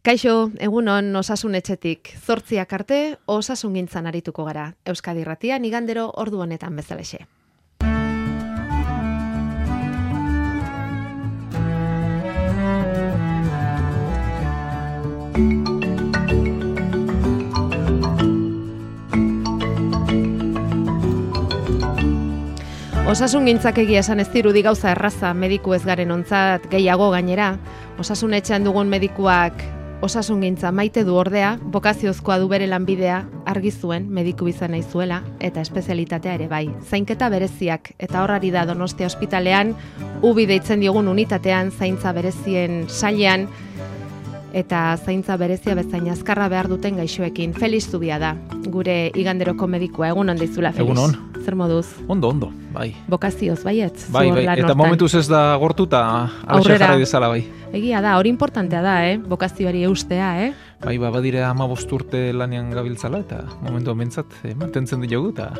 Kaixo, egunon osasun etxetik, 8 arte osasungintzan arituko gara. Euskadi Irratian igandero ordu honetan bezalaxe. Osasungintzak egia esan ez dirudi gauza erraza mediku ez garen ontzat gehiago gainera. Osasun etxean dugun medikuak osasungintza maite du ordea, bokaziozkoa du bere lanbidea, argi zuen mediku izan nahi zuela eta espezialitatea ere bai. Zainketa bereziak eta horrari da Donostia ospitalean, UBI deitzen diogun unitatean, zaintza berezien sailean eta zaintza berezia bezain azkarra behar duten gaixoekin. Felix Zubia da, gure iganderoko medikua. Egunon deizula, Felix. Egunon. Zer moduz? Ondo, bai. Bokazioz, baietz? Bai, eta momentuz ez da gortu eta alaxe jarrai dezala, bai. Egia da, hori importantea da, bokazioari eustea, Bai, badire 15 urte lanean gabiltzala eta momentu bentsat mantentzen diogu eta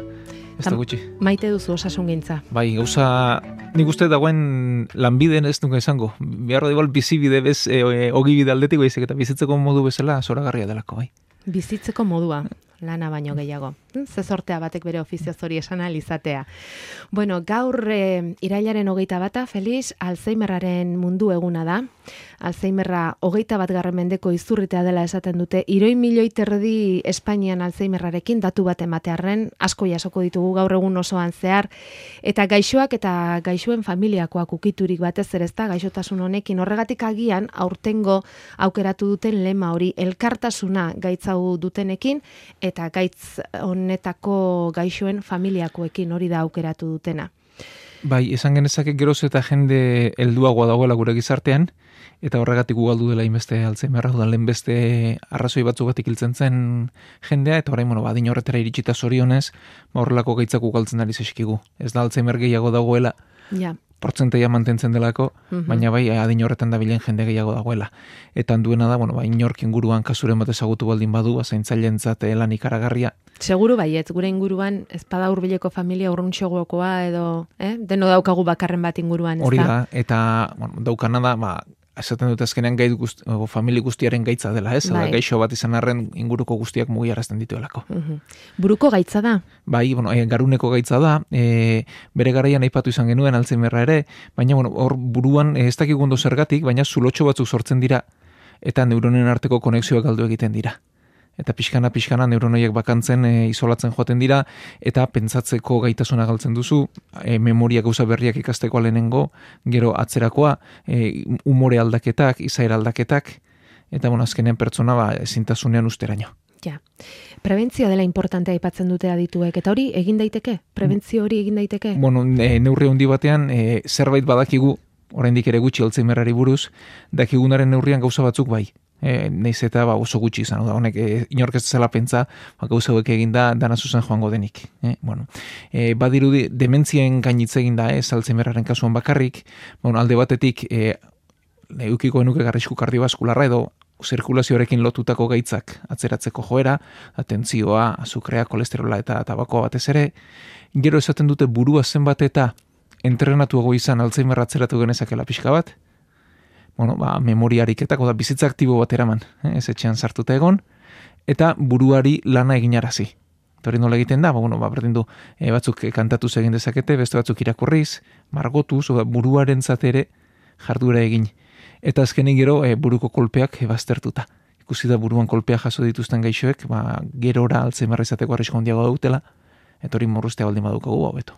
ez da gutxi. Maite duzu osasungintza. Bai, gauza, nik uste dagoen lanbideen ez nuke izango. Biharro da igual bizibide bez, ogibide aldetik baizik eta bizitzeko modu bezala zoragarria delako, bai. Bizitzeko modua, lana baino gehiago. Ze sortea batek bere ofizioz hori esan alizatea. Bueno, gaur irailaren 21, Felix, Alzheimerraren mundu eguna da. Alzheimerra 21. Mendeko izurritea dela esaten dute. 3 milioi terdi Espainian Alzheimerrarekin datu bat ematearren, asko jasoko ditugu gaur egun osoan zehar, eta gaixoak eta gaixoen familiakoak ukiturik batez ere ezta gaixotasun honekin. Horregatik agian aurtengo aukeratu duten lema hori, elkartasuna gaitzau dutenekin eta gaitz honetako gaixoen familiakoekin, hori da aukeratu dutena. Bai, esan genezake geroz eta jende helduagoa dagoela gure gizartean, eta horregatik ugaldu dela inbeste Alzheimerra, lehen beste arrazoi batzugatik hiltzen zen jendea, eta orain, adin horretara iritsita zorionez, horrelako gaitzak ugaltzen ari zeskigu. Ez da Alzheimer gehiago dagoela, portzenteia mantentzen delako, baina bai adin horretan dabilen jende gehiago dagoela. Eta duena da, inork inguruan kasuren bat ezagutu baldin badu, zaintzaileentzat lan ikaragarria. Seguru baiet, gure inguruan ez pada hurbileko familia urruntxogokoa edo, deno daukagu bakarren bat inguruan, ez da? Hori da, eta daukana da, esaten dut azkenean familia guztiaren gaitza dela, ez? Bai. Gaixo bat izan arren inguruko guztiak mugiarazten dituelako. Buruko gaitza da? Bai, garuneko gaitza da, bere garaian aipatu izan genuen Alzheimerra ere, baina hor buruan ez dakik ondo zergatik, baina zulotxo batzuk sortzen dira, eta neuronen arteko konexioak galdu egiten dira. Eta pixkana neuronoiek bakantzen isolatzen joaten dira, eta pentsatzeko gaitasuna galtzen duzu, memoria gauza berriak ikasteko lehenengo, gero atzerakoa, umore aldaketak, izaera aldaketak, eta azkenean pertsona ezintasunean usteraino. Ja. Prebentzioa dela importantea aipatzen dute adituek, eta hori egin daiteke? Prebentzio hori egin daiteke? Neurri handi batean, zerbait badakigu, oraindik ere gutxi Alzheimerrari buruz, dakigunaren neurrian gauza batzuk bai. Neiz eta oso gutxi izan, honek inork ez zela pentsa, gauza hauek egin da dana zuzen joango denik. Badirudi dementzien gainitze egin da, Alzheimerraren kasuan bakarrik, alde batetik eukiko enuke garrisku kardiobaskularra edo zirkulazioarekin lotutako gaitzak atzeratzeko joera, atentzioa, azukrea, kolesterola eta tabakoa batez ere, gero esaten dute burua zenbat eta entrenatuago izan Alzheimerra atzeratu genezakela pixka bat, memoria ariketako da bizitza aktibo bat eraman, ez etxean sartuta egon, eta buruari lana eginarazi. Hori nola egiten da, berdin du, batzuk kantatuz egin dezakete, beste batzuk irakurriz, margotuz, buruaren zatere jarduera egin. Eta azkenik gero buruko kolpeak baztertuta. Ikusi da buruan kolpea jaso dituzten gaixoek, gerora Alzheimerra izateko arrisko handiago dautela, eta hori morrustea baldin badukagu hobeto.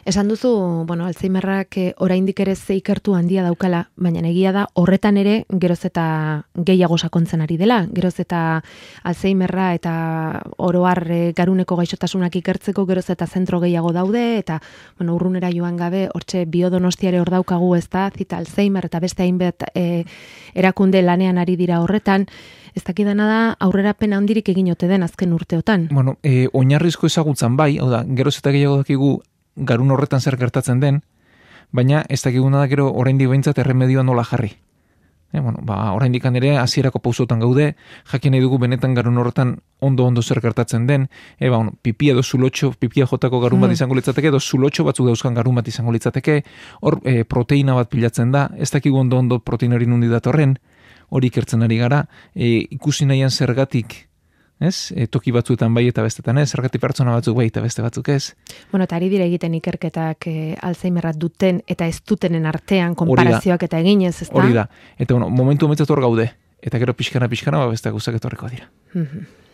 Esan duzu, Alzheimerrak oraindik ere ze ikertu handia daukala, baina egia da horretan ere geroz eta gehiago sakontzen ari dela, geroz eta Alzheimerra eta oro har garuneko gaixotasunak ikertzeko geroz eta zentro gehiago daude, eta urrunera joan gabe, hortxe Biodonostiare hor daukagu, ez da, zita Alzheimer eta beste hainbat erakunde lanean ari dira horretan. Ez dakidana da aurrerapen handirik egin ote den azken urteotan. Oinarrizko ezagutzan bai, geroz eta gehiago dakigu garun horretan zer gertatzen den, baina ez dakiguna da gero oraindik behintzat erremedioa nola jarri. Oraindik ere hasierako pausotan gaude, jakin nahi dugu benetan garun horretan ondo zer gertatzen den, pipia edo zulotxo, pipia jotako garun bat izango litzateke, edo zulotxo batzuk dauzkan garun bat izango litzateke, hor proteina bat pilatzen da, ez dakigu ondo proteina hori nundi datorren, hori ikertzen ari gara, ikusi nahian zergatik, ez? Toki batzuetan bai eta bestetan ez, zergatik pertsona batzuk bai eta beste batzuk ez. Bueno, eta ari dira egiten ikerketak Alzheimerra duten eta ez dutenen artean konparazioak eta eginez, ezta? Hori da. Eta momentu honetan hor gaude. Eta gero pixkana, beste guztak etorriko dira.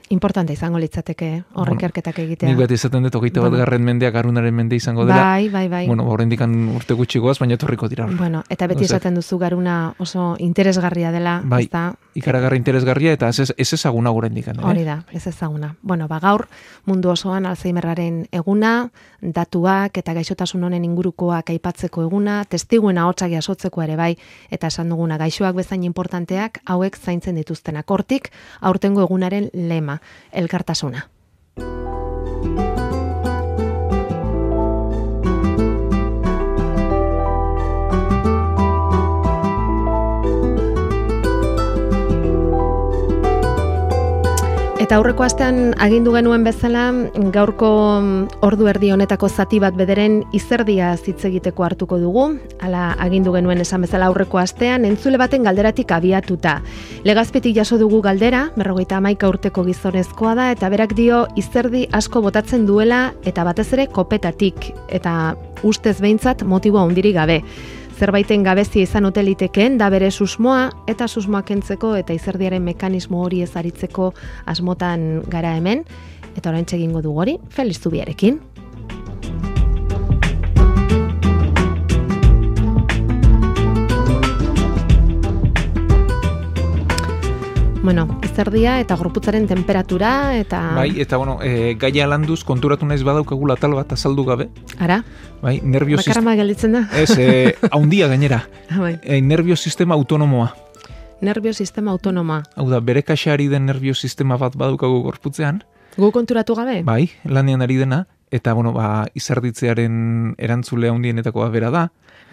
Importante izango litzateke hor ikerketak egitea. Nik bat izaten dut, 21. mendeak garunaren mende izango dela. Bai. Bueno, horrendikan urte gutxi goaz, baina etorriko dira. Bueno, eta beti esaten duzu garuna oso interesgarria dela. Bai, ikaragarri interesgarria eta ez ezaguna horrendikan. Hori da, ez ezaguna. Bueno, gaur mundu osoan Alzheimerraren eguna, datuak eta gaixotasun honen ingurukoak aipatzeko eguna, testiguen ahotsak jasotzeko ere bai, eta esan duguna gaixoak bezain importanteak hauek zaintzen dituztenak. Hortik aurtengo egunaren lema, elkartasuna. Eta aurreko astean agindu genuen bezala, gaurko ordu erdi honetako zati bat bederen izerdia hitz egiteko hartuko dugu. Hala agindu genuen esan bezala aurreko astean, entzule baten galderatik abiatuta. Legazpetik jaso dugu galdera, 51 urteko gizonezkoa da, eta berak dio izerdi asko botatzen duela, eta batez ere kopetatik, eta ustez behintzat motiboa handirik gabe. Zerbaiten gabezia izan ote litekeen da bere susmoa eta susmoa kentzeko eta izerdiaren mekanismo hori ezaritzeko asmotan gara hemen. Eta oraintxe egingo dugu hori, Felix Zubiarekin. Bueno, izerdia eta gorputzaren temperatura eta... Bai, eta gaia landuz konturatu naiz badaukagula tal bat azaldu gabe. Ara? Bai, nervio sistema... Bakarama gelditzen da? Ez, haundia gainera. Bai. Nervio sistema autonomoa. Nervio sistema autonomoa. Hau da, bere kaxari den nervio sistema bat badaukagu gorputzean. Gu konturatu gabe? Bai, lanean ari dena. Eta, izerditzearen erantzulea hundienetakoa bera da.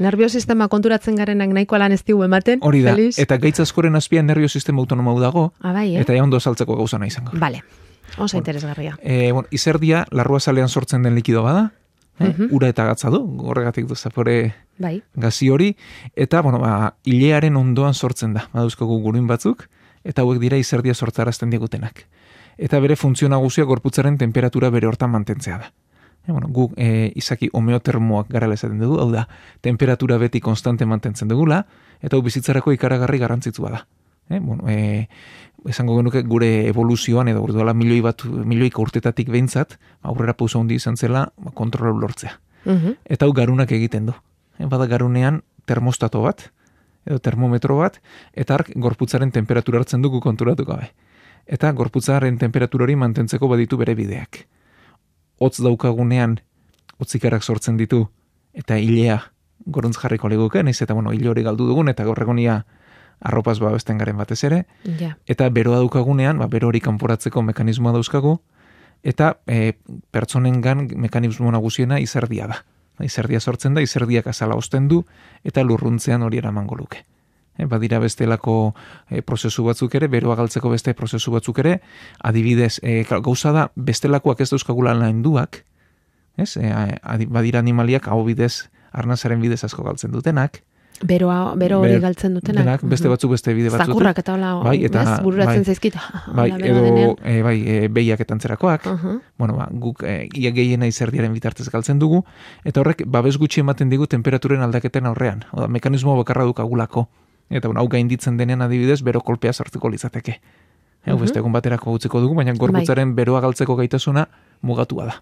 Nervio sistema konturatzen garenak nahiko lan ez digu ematen. Hori da, Feliz? eta gaitz askoren azpian nervio sistema autonoma dago. Bai, Eta ondo saltzeko gauza nahi izango. Vale, oso interesgarria. Izerdia, larruazalean sortzen den likido bada. Ura eta gatza du, horregatik du zapore gazi hori. Eta, ilearen ondoan sortzen da. Baduzkogu guruin batzuk, eta hauek dira izerdia sortzarazten digutenak. Eta bere funtzio nagusia gorputzaren temperatura bere hortan mantentzea da. Guk izaki homeotermoak garela esaten dugu, hau da, temperatura beti konstante mantentzen dugula, eta hau bizitzarako ikaragarri garrantzitsua da. Esango genuke gure evoluzioan, edo duela milioika urtetatik behintzat, aurrera pauso handi izan zela, kontrola lortzea. Eta hau garunak egiten du. Bada garunean termostato bat, edo termometro bat, eta ark gorputzaren temperatura hartzen dugu konturatu gabe. Eta gorputzaren temperatura hori mantentzeko baditu bere bideak. Hotz daukagunean, hotzikarak sortzen ditu, eta hilea goruntz jarriko leguke, naiz eta hile hori galdu dugun, eta gaur egonia arropaz babesten garen batez ere, eta beroa daukagunean, bero hori kanporatzeko mekanismoa dauzkagu, eta pertsonengan mekanismo nagusiena izerdia da. Izerdia sortzen da, izerdiak azala osten du, eta lurruntzean hori eramango luke. Badira bestelako prozesu batzuk ere, beroa galtzeko beste prozesu batzuk ere, adibidez, gauza da, bestelakoak ez dauzkagula lainduak, badira animaliak hau bidez, arnazaren bidez asko galtzen dutenak. Bero hori galtzen dutenak. Beste batzuk beste bide batzuk. Zakurrak eta hola, bururatzen zaizkit. Edo, behiak eta antzerakoak. Guk gehiena izerdiaren bitartez galtzen dugu, eta horrek, babes gutxi ematen digu temperaturen aldaketen aurrean. Mekanismo bakarra dukagulako. Eta hau gainditzen denean adibidez, bero kolpea sartuko litzateke. Beste egun baterako gutzeko dugu, baina gorputzaren beroa galtzeko gaitasuna mugatua da.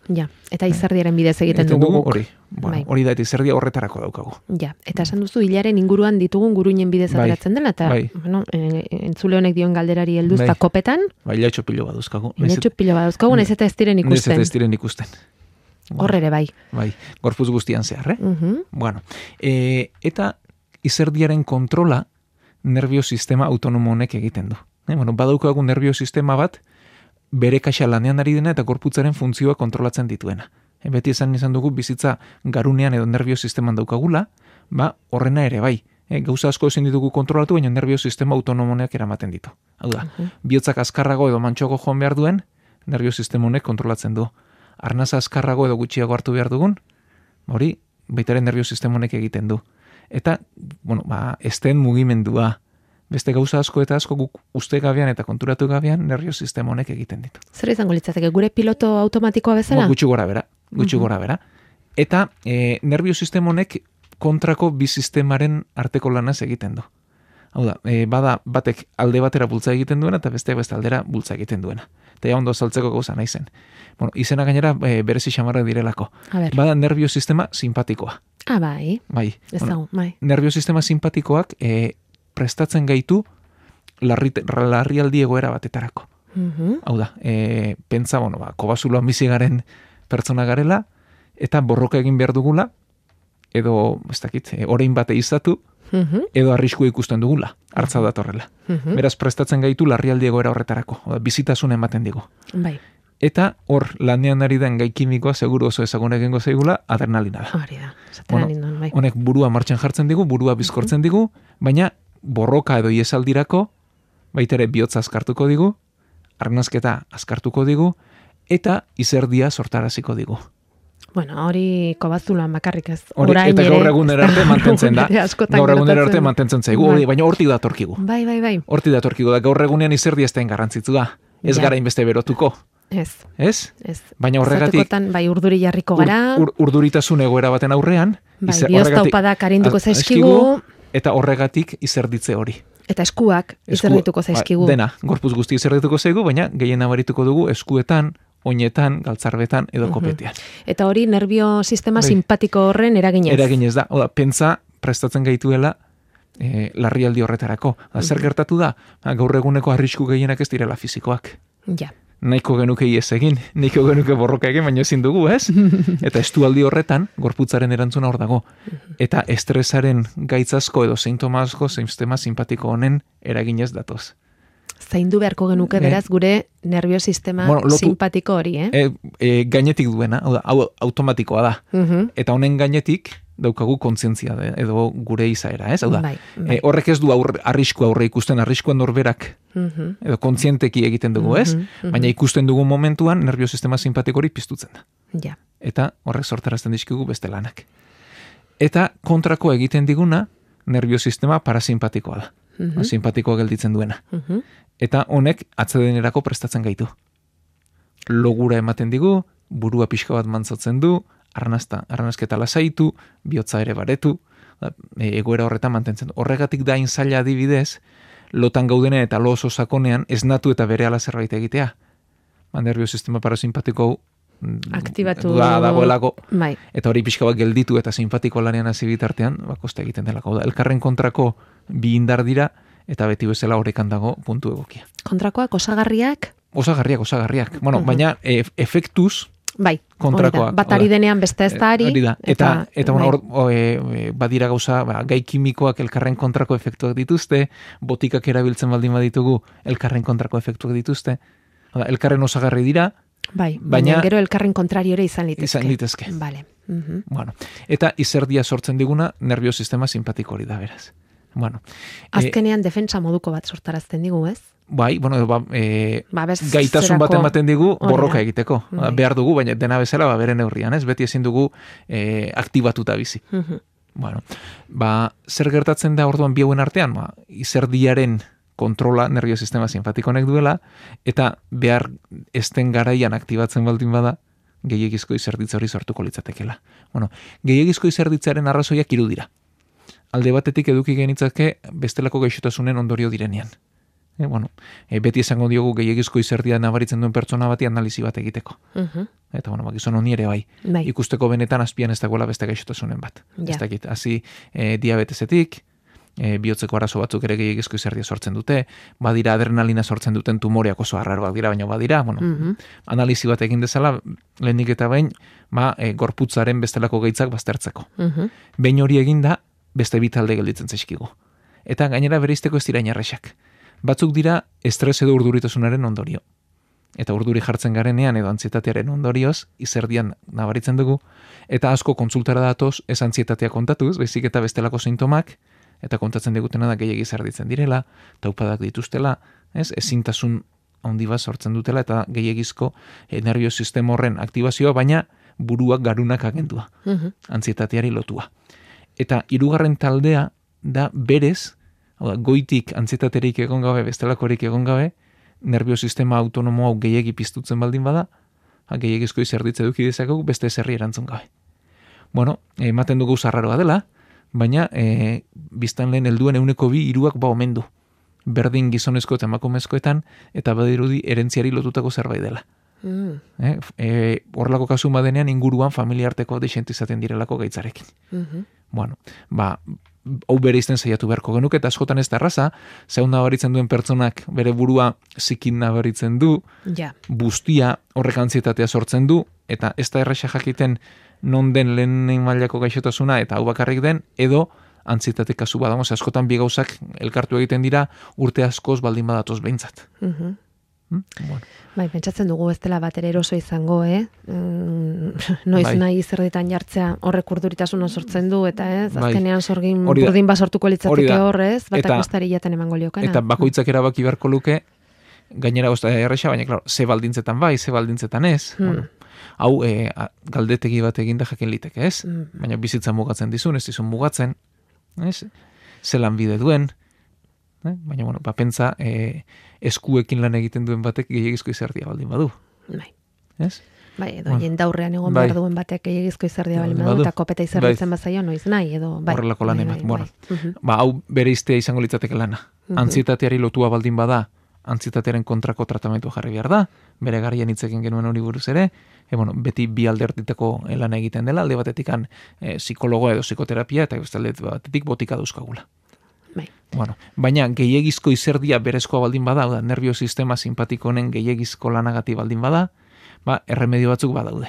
Ja, eta izerdiaren bidez egiten dugu. Hori da, eta izerdia horretarako daukagu. Ja, eta esan duzu, hilaren inguruan ditugun guruinen bidez ateratzen dela, eta entzule honek dion galderari helduzta kopetan. Ilatxo pilo baduzkagu. Ilatxo pilo baduzkagu, nahiz eta ez diren ikusten. Nahiz eta ez diren ikusten. Horrere bai. Gorputz guztian zehar, eta izerdiaren kontrola nervio sistema autonomo honek egiten du. Badaukagu nervio sistema bat bere kaxa lanean ari dena eta gorputzaren funtzioa kontrolatzen dituena. Beti izan dugu bizitza garunean edo nervio sisteman daukagula, horrena ere bai. Gauza asko ezin ditugu kontrolatu, baina nervio sistema autonomoneak eramaten ditu. Hau da, bihotzak azkarrago edo mantxoago joan behar duen, nervio sistema honek kontrolatzen du. Arnaza azkarrago edo gutxiago hartu behar dugun, hori baitaren nervio sistema honek egiten du. Eta, esten mugimendua, Beste gauza asko eta asko guk uste gabean eta konturatu gabean nervio sistema honek egiten ditu. Zer izango litzateke, gure piloto automatikoa bezala? Gutxi gora bera. Eta nervio sistema honek kontrako bi sistemaren arteko lanaz egiten du. Hau da, bada batek alde batera bultza egiten duena eta besteak beste aldera bultza egiten duena. Eta ondo saltzeko gauza nahi zen. Bueno, izena gainera berezi xamarrak direlako. Bada nervio sistema simpatikoa. Bai. Ez dago, bai. Nervio sistema simpatikoak prestatzen gaitu larrialdi egoera batetarako. Hau da, pentsa, kobazuloan bizi garen pertsona garela, eta borroka egin behar dugula, edo, ez dakit, orain bate izatu, edo arrisku ikusten dugula, hartza datorrela. Beraz, prestatzen gaitu larrialdi egoera horretarako, bizitasun ematen digu. Bai. Eta hor, lanean ari den gai kimikoa, seguru oso ezagun egingo zaigula, adrenalina da. Hori da, bai. Honek burua martxan jartzen digu, burua bizkortzen digu, baina borroka edo iesaldirako, baitere bihotza azkartuko digu, arnazketa azkartuko digu, eta izerdia sortaraziko digu. Bueno, hori kobazuloan bakarrik ez. Eta gaur egunera arte mantentzen da. Gaur egunera arte mantentzen zaigu, baina hortik datorkigu. Bai. Hortik datorkigu da, gaur egunean izerdia ez da garrantzitsu da. Ez gara inbeste berotuko. Ez? Baina horregatik... Zatekotan, urduri jarriko gara. Urduritasun egoera baten aurrean. Bioztaupadak arinduko zaizkigu. Eta horregatik izerditze hori. Eta eskuak izerdituko zaizkigu. Dena, gorpuz guzti izerdituko zaigu, baina gehien nabarituko dugu eskuetan, oinetan, galtzarbetan edo kopetean. Eta hori nervio sistema simpatiko horren eraginez. Eraginez da. Oda, pentsa prestatzen gaituela larrialdi horretarako. Zer gertatu da? Gaur eguneko arrisku gehienak ez direla fizikoak. Ja. Nahiko genuke iez egin, nahiko genuke borroka egin, baina ezin dugu, ez? Eta estualdi horretan, gorputzaren erantzuna hor dago. Eta estresaren gaitzasko edo sintoma asko sistema simpatiko honen eraginez datoz. Zaindu beharko genuke beraz gure nervio sistema simpatiko hori, Gainetik duena, hau automatikoa da. Eta honen gainetik daukagu kontzientzia edo gure izaera, ez? Hau da, horrek ez du arrisku aurre ikusten, arriskua norberak edo kontzienteki egiten dugu, ez? Baina ikusten dugu momentuan nervio sistema simpatiko hori piztutzen da. Ja. Eta horrek sortarazten dizkigu beste lanak. Eta kontrako egiten diguna nervio sistema parasimpatikoa da. Simpatikoa gelditzen duena. Eta honek atsedenerako prestatzen gaitu. Logura ematen digu, burua pixka bat mantzatzen du, arnazketa lasaitu, bihotza ere baretu, egoera horretan mantentzen du. Horregatik da zaila adibidez, lotan gaudenen eta lo oso sakonean esnatu eta berehala zerbait egitea. Nervio sistema parasimpatiko aktibatu dagoelako. Bai. Eta hori pixka bat gelditu eta simpatiko lanean hasi bitartean, koste egiten delako. Elkarren kontrako bi indar dira, eta beti bezala horrekan dago puntu egokia. Kontrakoak, osagarriak? Osagarriak. Bueno, baina efektuz kontrakoak. Bat ari denean beste ez da ari. Eta badira gauza, gai kimikoak elkarren kontrako efektuak dituzte, botikak erabiltzen baldin baditugu elkarren kontrako efektuak dituzte. Elkarren osagarri dira, baina gero elkarren kontrariore izan litezke. Vale. Bueno, eta izerdia sortzen diguna nervio sistema simpatiko hori da beraz. Bueno, azkenean defentsa moduko bat sortarazten digu, ez? Gaitasun bat ematen digu borroka egiteko. Behar dugu, baina dena bezala bere neurrian, ez? Beti ezin dugu aktibatuta bizi. Bueno, zer gertatzen da orduan bi hauen artean? Izerdiaren kontrola nervio sistema simpatikonek duela, eta behar esten garaian aktibatzen baldin bada, gehiegizko izerditza hori sortuko litzatekela. Bueno, gehiegizko izerditzaren arrazoiak hiru dira. Alde batetik eduki genitzake bestelako gaixotasunen ondorio direnean. Beti esango diogu gehiegizko izerdia nabaritzen duen pertsona bati analizi bat egiteko. Eta gizon honi ere bai. Ikusteko benetan azpian ez dagoela beste gaixotasunen bat. Ez dakit, hazi diabetesetik, bihotzeko arazo batzuk ere gehiegizko izerdia sortzen dute, badira adrenalina sortzen duten tumoreak oso arraroak dira, baina badira, analizi bat egin dezala, lehenik eta behin, gorputzaren bestelako gaitzak baztertzeko. Behin hori eginda, beste bitalde gelditzen zaizkigu. Eta gainera bereizteko ez dira inarrexak. Batzuk dira estres edo urduritasunaren ondorio. Eta urduri jartzen garenean edo antzietatearen ondorioz, izerdian nabaritzen dugu, eta asko kontsultara datoz ez antzietatea kontatuz, baizik eta bestelako sintomak, eta kontatzen digutena da gehiegi zerditzen direla, taupadak dituztela, ezintasun handi bat sortzen dutela, eta gehiegizko nervio sistema horren aktibazioa, baina buruak garunak agendua, antzietateari lotua. Eta hirugarren taldea da berez Hau da, goitik antsietaterik egon gabe, bestelakorik egon gabe, nerviosistema autonomo hau gehiegi piztutzen baldin bada, gehiagizko izerditze duki dezakegu beste zerri erantzun gabe. Bueno, ematen dugu zarraroa dela, baina biztan lehen helduen 1/2 ba omen du. Berdin gizonezko eta emakumezkoetan, eta badirudi erentziari lotutako zerbait dela. Horrelako kasu badenean inguruan familiarteko desente izaten direlako gaitzarekin. Bueno, hau bere izten saiatu beharko genuke, eta askotan ez da erraza, zeun nabaritzen duen pertsonak bere burua zikin nabaritzen du, bustia horrek antzietatea sortzen du, eta ez da erraxa jakiten non den lehen mailako gaixotasuna, eta hau bakarrik den, edo antzietate kasu badago, askotan bi gauzak elkartu egiten dira urte askoz baldin badatoz behintzat. Bueno. Bai, pentsatzen dugu ez dela bat ere eroso izango, noiz nahi zerditan jartzea horrek urduritasuna sortzen du, eta azkenean sorgin burdin basortuko litzateke horrez, batak bostari jaten emango liokana. Eta bakoitzak erabaki beharko luke, gainera gozta erresa, baina, klaro, ze baldintzetan bai, ze baldintzetan ez. Bueno, hau, galdetegi bat eginda jakin liteke, ez? Baina bizitza mugatzen dizun, ez dizun mugatzen, ez? Zelan bide duen, baina, bueno, pentsa, eskuekin lan egiten duen batek gehiagizko izerdia baldin badu. Bai. Ez? Bai, edo jendaurrean egon behar duen batek gehiagizko izerdia baldin badu, eta kopeta izerditzen bazaio noiz nahi, edo bai. Horrelako lan eman, bueno. Hau bere iztea izango litzateke lana. Antzietateari lotua baldin bada, antzietatearen kontrako tratamentu jarri behar da, bere garrian hitzekin genuen hori buruz ere, beti bi aldertiteko lan egiten dela, alde batetikan psikologoa edo psikoterapia, eta alde batetik botika dauzkagula. Bueno, baina gehiagizko izerdia berezkoa baldin bada, da, nerviosistema simpatiko honen gehiagizko lanagati baldin bada, erremedio batzuk badaude.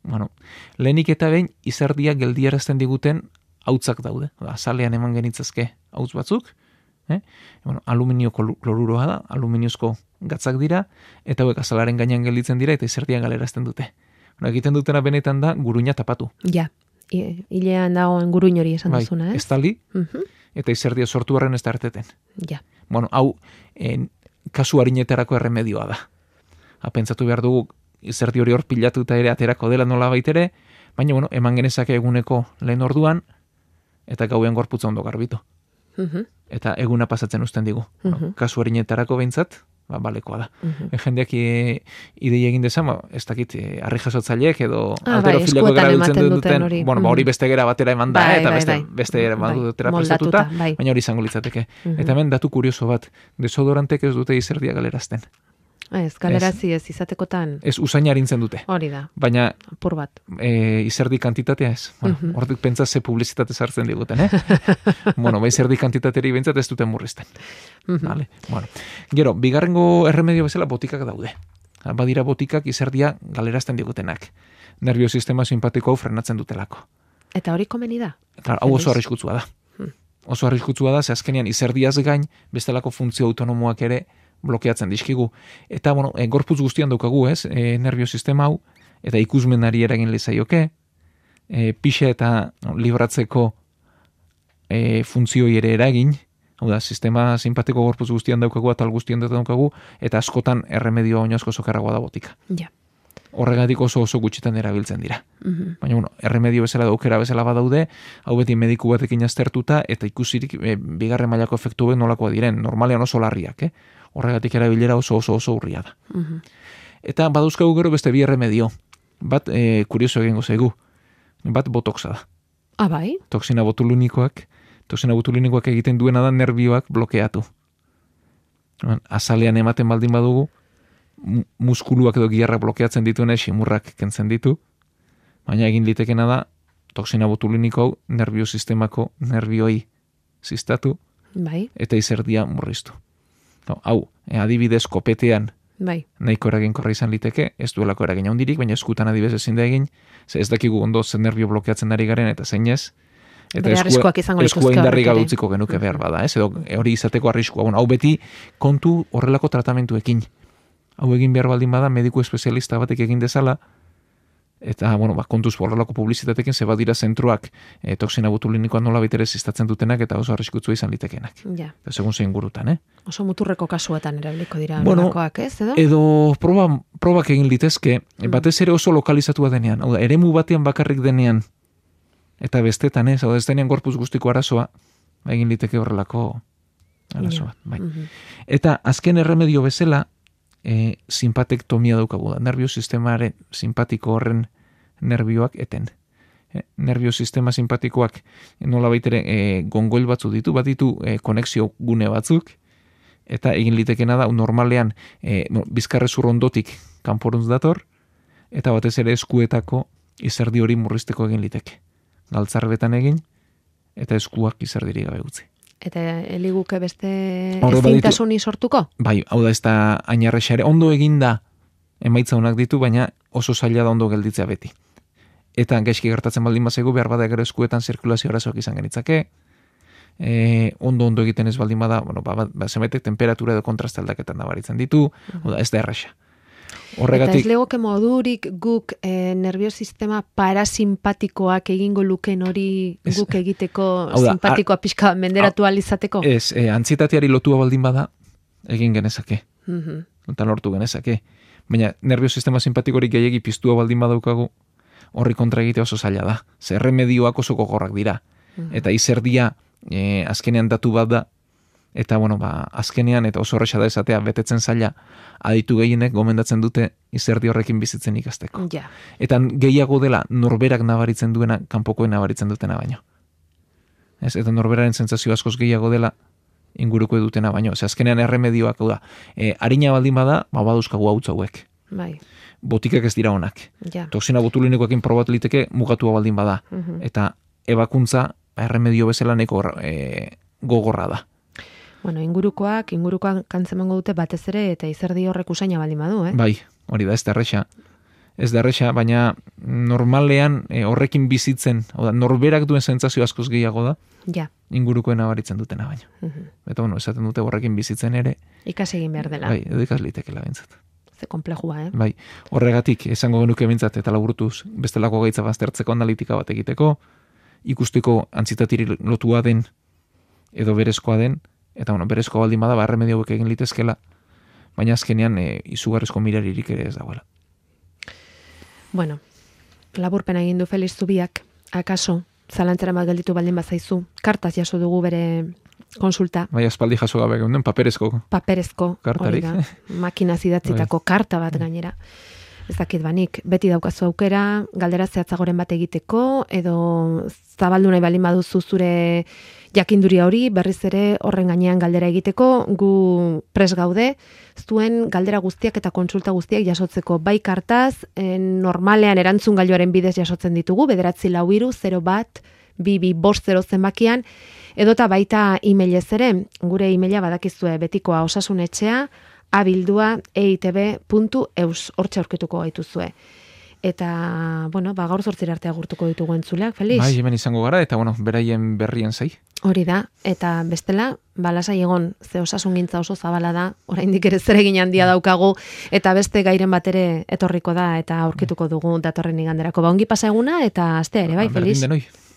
Bueno, lehenik eta behin izerdia geldiarazten diguten hautzak daude. Azalean eman genitzazke hautz batzuk, aluminio kloruroa da, aluminiozko gatzak dira, eta hauek azalaren gainean gelditzen dira, eta izerdia galerazten dute. Egiten dutena benetan da guruina tapatu. Ja, hilean dagoen guruin hori esan duzuna, ez? Estali, eta izerdia sortu horren ez da erteten. Ja. Bueno, hau, kasu harinetarako erremedioa da. Pentsatu behar dugu, izerdi hori hor pilatuta ere aterako dela nola baitere, baina, bueno, eman genezake eguneko lehen orduan, eta gauean gorputza ondo garbitu. Eta eguna pasatzen uzten digu. Kasu harinetarako behintzat, balekoa da. Jendeak idei egin dezan, ez dakit, harri jasotzaileek edo alterofileko erabiltzen duten, hori beste gera batera eman da, eta beste gera batera prestatuta, baina hori izango litzateke. Eta hemen datu kurioso bat, desodorantek ez dute izerdia galerazten. Ez, galerazi ez izatekotan. Ez usaina harintzen dute. Hori da. Baina apur bat. Izerdi kantitatea ez. Hortik pentsa ze publizitate sartzen diguten, Bueno, izerdi kantitateri bentsat ez duten murrizten. Vale. Bueno. Gero, bigarrengo erremedio bezala botikak daude. Badira botikak izerdia galerazten digutenak. Nerviosistema simpatiko hau frenatzen dutelako. Eta hori komeni da? Claro, hau oso arriskutsua da. Oso arriskutsua da, ze azkenean izerdiaz gain, bestelako funtzio autonomoak ere blokeatzen dizkigu. Eta, bueno, gorputz guztian daukagu, ez, nerviosistema hau, eta ikusmenari eragin lezaioke, pixa eta libratzeko funtzioi ere eragin, hau da, sistema simpatiko gorputz guztian daukagu, atal guztian daukagu, eta askotan erremedio oinazko sokarragoa da botika. Ja. Horregatik oso gutxitan erabiltzen dira. Baina, bueno, erremedio bezala daukera bezala badaude, hau beti mediku batekin aztertuta, eta ikusirik bigarren mailako efektu nolakoa diren, normalean oso larriak, Horregatik erabilera oso urria da. Eta badauzkagu gero beste bi erremedio. Bat, kurioso egingo zaigu. Bat botoxa da. Bai? Toxina botulunikoak egiten duena da nerbioak blokeatu. Azalean ematen baldin badugu, muskuluak edo giharrak blokeatzen dituena simurrak kentzen ditu. Baina egin litekena da, toxina botuluniko hau nerviosistemako nervioi ziztatu. Bai. Eta izerdia murriztu. Hau, adibidez kopetean nahiko eraginkorra izan liteke, ez duelako eragin handirik, baina eskutan adibidez ezin da egin, ez dakigu ondo zen nervio blokeatzen ari garen, eta zeinez, eta eskua indarri gadutziko genuke behar bada, edo hori izateko arriskua. Hau beti kontu horrelako tratamentuekin. Hau egin behar baldin bada, mediku espezialista batek egin dezala, eta, kontuz horrelako publizitatekin ze badira zentroak toxina botulinikoa nola baitere ziztatzen dutenak eta oso arriskutsua izan litekenak. Ja. Eta segun zein gurutan, Oso muturreko kasuetan erabiliko dira nolakoak, ez, edo? Edo probak egin litezke, batez ere oso lokalizatua denean, hau da, eremu batean bakarrik denean, eta bestetan, hau da, ez denean gorpuz guztiko arazoa, egin liteke horrelako arazo bat, bai. Eta azken erremedio bezala, simpatektomia daukagu da, nervio sistemaren simpatiko horren nervioak eten. Nervio sistema simpatikoak nola baitere gongoil batzu ditu, bat ditu konexio gune batzuk, eta egin litekena da, normalean bizkarrezur ondotik kanporuntz dator, eta batez ere eskuetako izerdi hori murrizteko egin liteke. Galtzarbetan egin, eta eskuak izerdiri gabe utzi. Eta eliguke beste ezintasuni sortuko? Bai, hau da ez da ainarrexare. Ondo egin da emaitza honak ditu, baina oso zaila da ondo gelditzea beti. Eta gaizki gertatzen baldin bazaigu, behar bada gero eskuetan zirkulazio arazoak izan genitzake, ondo egiten ez baldin bada, zenbaitek temperatura edo kontraste aldaketan nabaritzen ditu, ez da erraxa. Horregatik, eta ez legoke modurik guk nerviosistema parasimpatikoak egingo luken hori guk egiteko simpatikoa pixka menderatu alizateko? Ez, antsietateari lotua baldin bada, egin genezake. Eta lortu genezake. Baina nerviosistema simpatikorik gehiagi piztua baldin badaukagu, horri kontra egite oso zaila da. Zer remedioak oso gogorrak dira. Eta izerdia azkenean datu bat da, eta azkenean eta oso horreza da esatea betetzen zaila, aditu gehienek gomendatzen dute izerdi horrekin bizitzen ikasteko. Ja. Eta gehiago dela norberak nabaritzen duena, kanpokoen nabaritzen dutena baino. Eta norberaren sentsazio askoz gehiago dela inguruko dutena baino. Azkenean erremedioak, da, harina baldin bada, baduzkagu hautz hauek. Bai. Botikak ez dira onak. Ja. Toxina botulinikoekin probatu liteke mugatua baldin bada. Eta ebakuntza erremedio bezala neko gogorra da. Ingurukoak kantzemango dute batez ere eta izerdi horrek usaina baldin badu, Bai, hori da, ez da erresa. Ez da erresa, baina normalean horrekin bizitzen, norberak duen sentsazio askoz gehiago da, ingurukoen nabaritzen dutena baino. Eta esaten dute horrekin bizitzen ere. Ikas egin behar dela. Bai, edo ikas litekela bintzat. Ze komplejua, Bai, horregatik esango genuke bintzat eta laburtuz bestelako gaitza baztertzeko analitika bat egiteko, ikusteko antzitatiri lotua den edo berezkoa den, eta berezkoa baldin bada, erremedio hauek egin litezkela, baina azkenean izugarrizko miraririk ere ez dagoela. Laburpena egin du Felix Zubiak, akaso, zalantzara bat gelditu baldin bazaizu, kartaz jaso dugu bere konsulta. Bai, aspaldi jaso gabe geunden, paperezko. Paperezko, kartarik. Hori da, makinaz idatzitako karta bat gainera. Ez dakit banik, beti daukazu aukera, galdera zehatzagoren bat egiteko, edo zabaldu nahi balin baduzu zure jakinduria hori, berriz ere horren gainean galdera egiteko, gu pres gaude, zuen galdera guztiak eta kontsulta guztiak jasotzeko, bai kartaz, normalean erantzun gailuaren bidez jasotzen ditugu, 943-1-2250 zenbakian, edota baita emailez ere, gure emaila badakizue betikoa osasunetxea, abildua@eitb.eus, hortxe aurkituko gaituzue. Eta, gaur 8 arte agurtuko ditugu entzuleak, Felix? Bai, hemen izango gara, eta, beraien berrien zai. Hori da, eta bestela, lasai egon, ze osasungintza oso zabala da, oraindik ere zeregin handia daukagu, eta beste gairen bat ere etorriko da, eta aurkituko dugu datorren iganderako. Ongi pasa eguna, eta astea ere, bai, Felix? Berdin denoi.